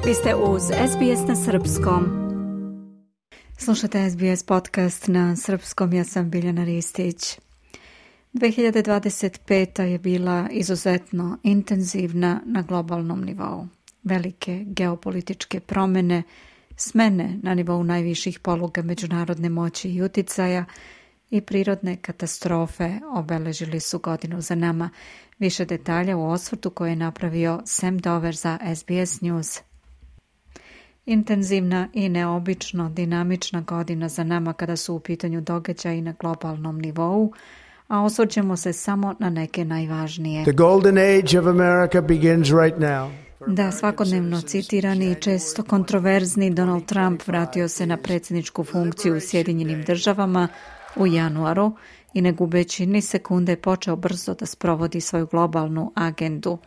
Vi ste uz SBS na srpskom. Slušate SBS podcast na srpskom, ja sam Biljana Ristić. 2025. je bila izuzetno intenzivna na globalnom nivou. Velike geopolitičke promjene, smene na nivou najviših poluga međunarodne moći i uticaja i prirodne katastrofe obeležili su godinu za nama. Više detalja u osvrtu koje je napravio Sam Dover za SBS News. Intenzivna i neobično dinamična godina za nama kada su u pitanju događaji na globalnom nivou, a osvrćemo se samo na neke najvažnije. The golden age of America begins right now. Da, svakodnevno citirani i često kontroverzni Donald Trump vratio se na predsjedničku funkciju u Sjedinjenim državama u januaru i ne gubeći ni sekunde počeo brzo da sprovodi svoju globalnu agendu.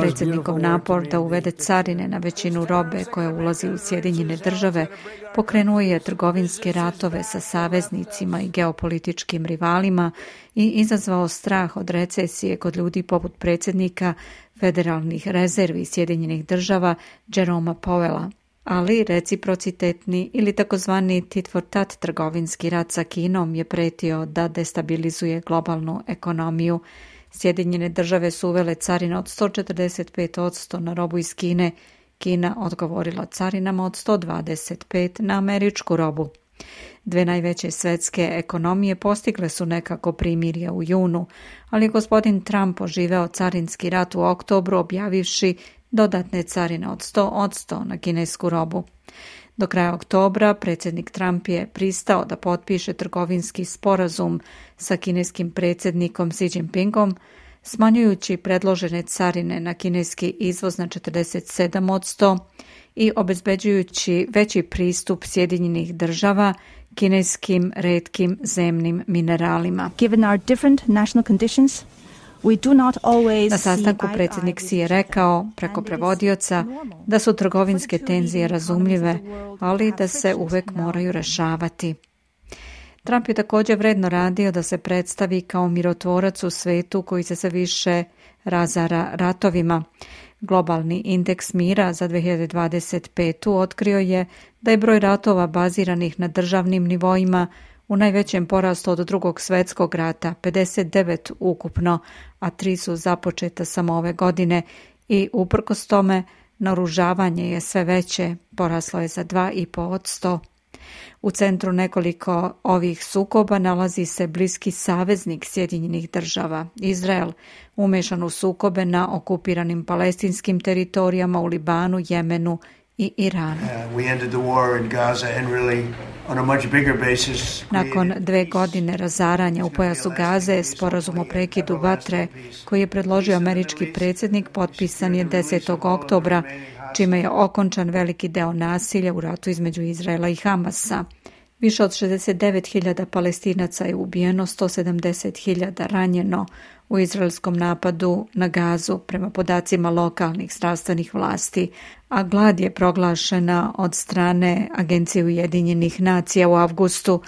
Predsjednikov napor da uvede carine na većinu robe koja ulazi u Sjedinjene države pokrenuo je trgovinske ratove sa saveznicima i geopolitičkim rivalima i izazvao strah od recesije kod ljudi poput predsjednika Federalnih rezervi Sjedinjenih država Jeroma Powella. Ali reciprocitetni ili takozvani tit for tat trgovinski rat sa Kinom je pretio da destabilizuje globalnu ekonomiju. Sjedinjene države su uvele carine od 145% na robu iz Kine. Kina odgovorila carinama od 125% na američku robu. Dve najveće svetske ekonomije postigle su nekako primirje u junu, ali je gospodin Trump oživeo carinski rat u oktobru objavivši dodatne carine od 100% na kinesku robu. Do kraja oktobra predsjednik Trump je pristao da potpiše trgovinski sporazum sa kineskim predsjednikom Xi Jinpingom, smanjujući predložene carine na kineski izvoz na 47% i obezbeđujući veći pristup Sjedinjenih država kineskim retkim zemnim mineralima. Given our different national conditions, na sastanku predsjednik Xi je rekao preko prevodioca da su trgovinske tenzije razumljive, ali da se uvek moraju rešavati. Trump je također vredno radio da se predstavi kao mirotvorac u svetu koji se sve više razara ratovima. Globalni indeks mira za 2025. otkrio je da je broj ratova baziranih na državnim nivoima u najvećem porastu od Drugog svjetskog rata, 59 ukupno, a 3 su započeta samo ove godine i uprkos tome naoružavanje je sve veće, poraslo je za 2,5%. U centru nekoliko ovih sukoba nalazi se bliski saveznik Sjedinjenih država, Izrael, umešan u sukobe na okupiranim palestinskim teritorijama u Libanu, Jemenu i Iranu. Nakon 2 godine razaranja u pojasu Gaze, sporazum o prekidu vatre koji je predložio američki predsjednik potpisan je 10. oktobra, čime je okončan veliki deo nasilja u ratu između Izraela i Hamasa. Više od 69.000 Palestinaca je ubijeno, 170.000 ranjeno u izraelskom napadu na Gazu prema podacima lokalnih zdravstvenih vlasti, a glad je proglašena od strane Agencije Ujedinjenih nacija u avgustu.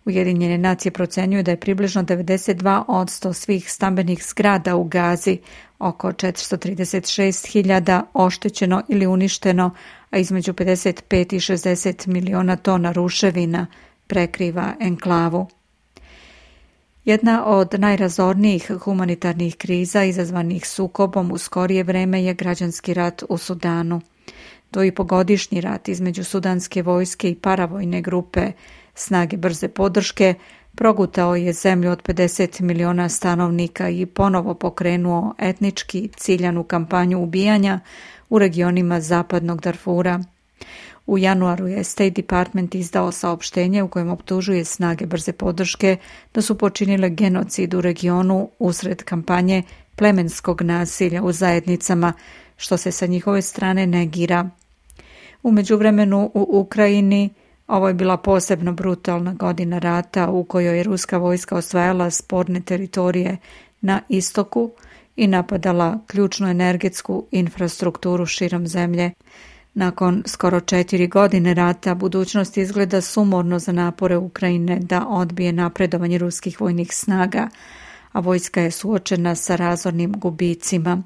Ujedinjene nacije procenjuju da je približno 92% svih stambenih zgrada u Gazi, oko 436.000 oštećeno ili uništeno, a između 55 i 60 miliona tona ruševina prekriva enklavu. Jedna od najrazornijih humanitarnih kriza izazvanih sukobom u skorije vreme je građanski rat u Sudanu. 2,5-godišnji rat između sudanske vojske i paravojne grupe snage brze podrške progutao je zemlju od 50 miliona stanovnika i ponovo pokrenuo etnički ciljanu kampanju ubijanja u regionima zapadnog Darfura. U januaru je State Department izdao saopštenje u kojem optužuje snage brze podrške da su počinile genocid u regionu usred kampanje plemenskog nasilja u zajednicama, što se sa njihove strane negira. U međuvremenu u Ukrajini ovo je bila posebno brutalna godina rata u kojoj je ruska vojska osvajala sporne teritorije na istoku i napadala ključnu energetsku infrastrukturu širom zemlje. Nakon skoro 4 godine rata, budućnost izgleda sumorno za napore Ukrajine da odbije napredovanje ruskih vojnih snaga, a vojska je suočena sa razornim gubicima.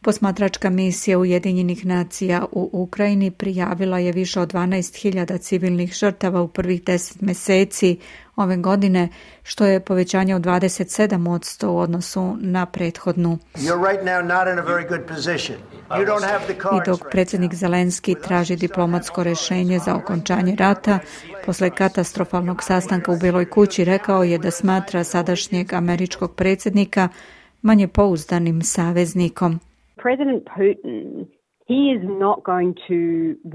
Posmatračka misija Ujedinjenih nacija u Ukrajini prijavila je više od 12.000 civilnih žrtava u prvih 10 mjeseci ove godine, što je povećanje od 27% u odnosu na prethodnu. I dok predsjednik Zelenski traži diplomatsko rješenje za okončanje rata, posle katastrofalnog sastanka u Beloj kući rekao je da smatra sadašnjeg američkog predsjednika manje pouzdanim saveznikom. President Putin, he is not going to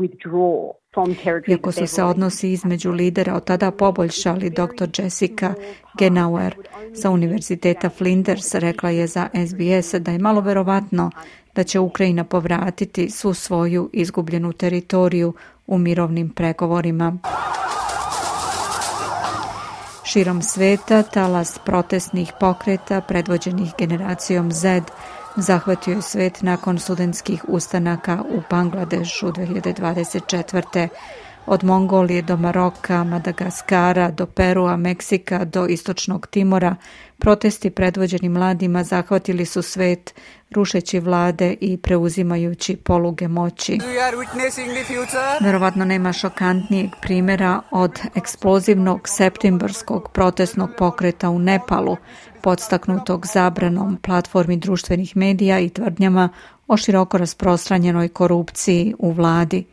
withdraw from territory. Iako su se odnosi između lidera od tada poboljšali, dr. Jessica Genauer sa Univerziteta Flinders rekla je za SBS da je malo verovatno da će Ukrajina povratiti svu svoju izgubljenu teritoriju u mirovnim pregovorima. Širom sveta talas protestnih pokreta predvođenih generacijom Z zahvatio je svet nakon studentskih ustanaka u Bangladešu 2024. Od Mongolije do Maroka, Madagaskara, do Perua, Meksika, do Istočnog Timora, protesti predvođeni mladima zahvatili su svet, rušeći vlade i preuzimajući poluge moći. Verovatno nema šokantnijeg primjera od eksplozivnog septembarskog protestnog pokreta u Nepalu, podstaknutog zabranom platformi društvenih medija i tvrdnjama o široko rasprostranjenoj korupciji u vladi.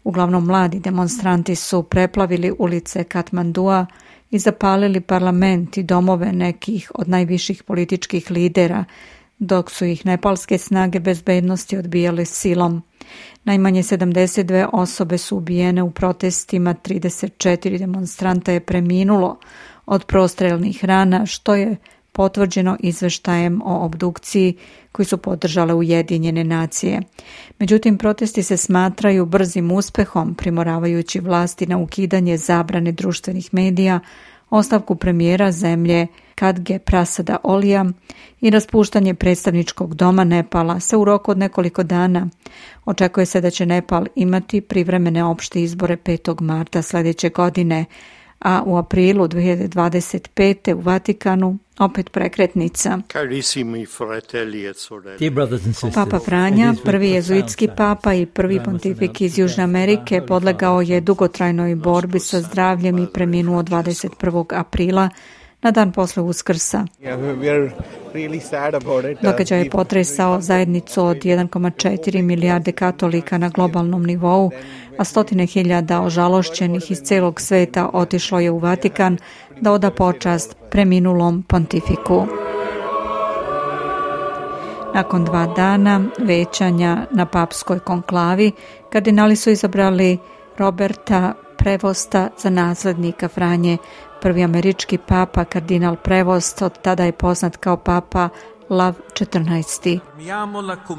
Uglavnom mladi demonstranti su preplavili ulice Katmandua i zapalili parlament i domove nekih od najviših političkih lidera, dok su ih nepalske snage bezbednosti odbijale silom. Najmanje 72 osobe su ubijene u protestima, 34 demonstranta je preminulo od prostrelnih rana, što je potvrđeno izveštajem o obdukciji koji su podržale Ujedinjene nacije. Međutim, protesti se smatraju brzim uspehom, primoravajući vlasti na ukidanje zabrane društvenih medija, ostavku premijera zemlje Khadge Prasada Olija i raspuštanje predstavničkog doma Nepala se u roku od nekoliko dana. Očekuje se da će Nepal imati privremene opšte izbore 5. marta sljedeće godine, a u aprilu 2025. u Vatikanu opet prekretnica. Papa Franja, prvi jezuitski papa i prvi pontifik iz Južne Amerike, podlegao je dugotrajnoj borbi sa zdravljem i preminuo 21. aprila na dan posle Uskrsa. Događaj je potresao zajednicu od 1,4 milijarde katolika na globalnom nivou, a 100.000 ožalošćenih iz celog sveta otišlo je u Vatikan da oda počast preminulom pontifiku. Nakon 2 dana većanja na papskoj konklavi, kardinali su izabrali Roberta Prevosta za naslednika Franje. Prvi američki papa, kardinal Prevost, od tada je poznat kao papa Lav 14.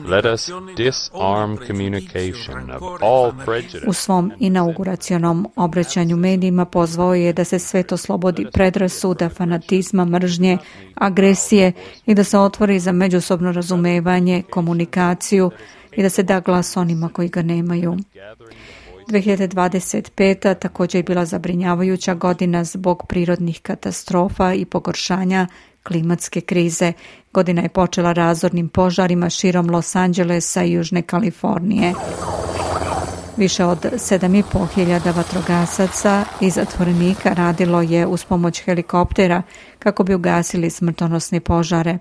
Let us disarm communication of all prejudice. U svom inauguracionom obraćanju medijima pozvao je da se svet oslobodi predrasuda, fanatizma, mržnje, agresije i da se otvori za međusobno razumevanje, komunikaciju i da se da glas onima koji ga nemaju. 2025. također je bila zabrinjavajuća godina zbog prirodnih katastrofa i pogoršanja klimatske krize. Godina je počela razornim požarima širom Los Angelesa i Južne Kalifornije. Više od 7.500 vatrogasaca i zatvorenika radilo je uz pomoć helikoptera kako bi ugasili smrtonosne požare,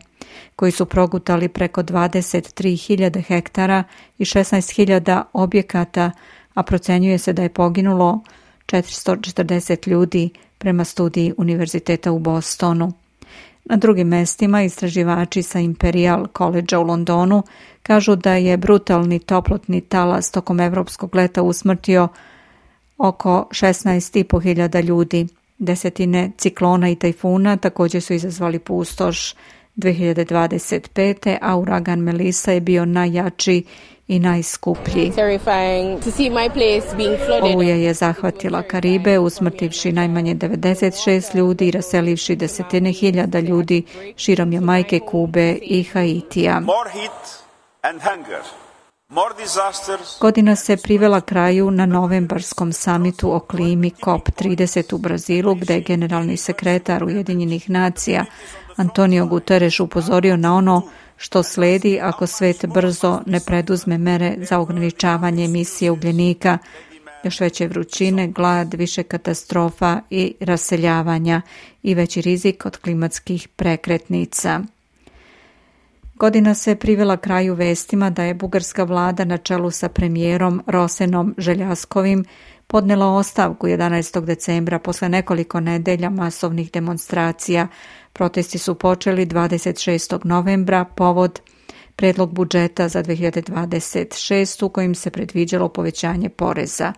koji su progutali preko 23.000 hektara i 16.000 objekata, a procenjuje se da je poginulo 440 ljudi prema studiji Univerziteta u Bostonu. Na drugim mestima istraživači sa Imperial College u Londonu kažu da je brutalni toplotni talas tokom evropskog leta usmrtio oko 16.500 ljudi. Desetine ciklona i tajfuna također su izazvali pustoš 2025. a uragan Melissa je bio najjači i najskuplji. Oluja je zahvatila Karibe, usmrtivši najmanje 96 ljudi i raselivši desetine hiljada ljudi širom Jamajke, Kube i Haitija. Godina se privela kraju na novembarskom samitu o klimi COP30 u Brazilu, gde je generalni sekretar Ujedinjenih nacija Antonio Guterres upozorio na ono što sledi ako svet brzo ne preduzme mere za ograničavanje emisije ugljenika, još veće vrućine, glad, više katastrofa i raseljavanja i veći rizik od klimatskih prekretnica. Godina se privela kraju vestima da je bugarska vlada na čelu sa premijerom Rosenom Željaskovim podnela ostavku 11. decembra posle nekoliko nedelja masovnih demonstracija. Protesti su počeli 26. novembra povod predlog budžeta za 2026 u kojim se predviđalo povećanje poreza.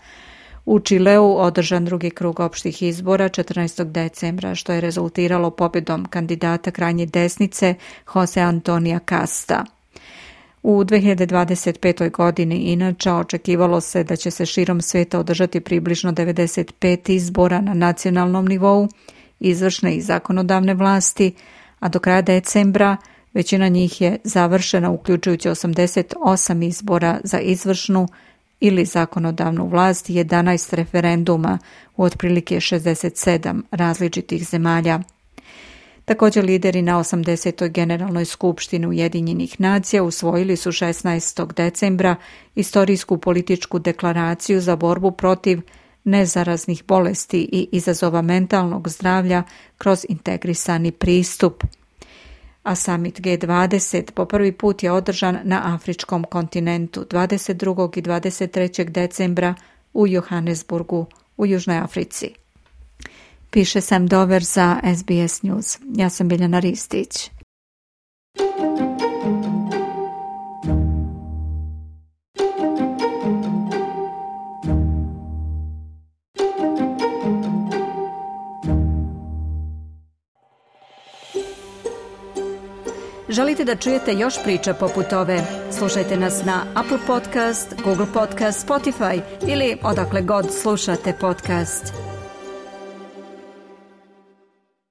U Čileu održan drugi krug opštih izbora 14. decembra, što je rezultiralo pobjedom kandidata krajnje desnice Jose Antonija Casta. U 2025. godini inače očekivalo se da će se širom sveta održati približno 95 izbora na nacionalnom nivou, izvršne i zakonodavne vlasti, a do kraja decembra većina njih je završena, uključujući 88 izbora za izvršnu ili zakonodavnu vlast i 11 referenduma u otprilike 67 različitih zemalja. Također lideri na 80. generalnoj skupštini Ujedinjenih nacija usvojili su 16. decembra istorijsku političku deklaraciju za borbu protiv nezaraznih bolesti i izazova mentalnog zdravlja kroz integrisani pristup. A summit G20 po prvi put je održan na afričkom kontinentu 22. i 23. decembra u Johannesburgu u Južnoj Africi. Piše Sam Dover za SBS News. Ja sam Biljana Ristić. Želite da čujete još priča poput ove? Slušajte nas na Apple Podcast, Google Podcast, Spotify ili odakle god slušate podcast.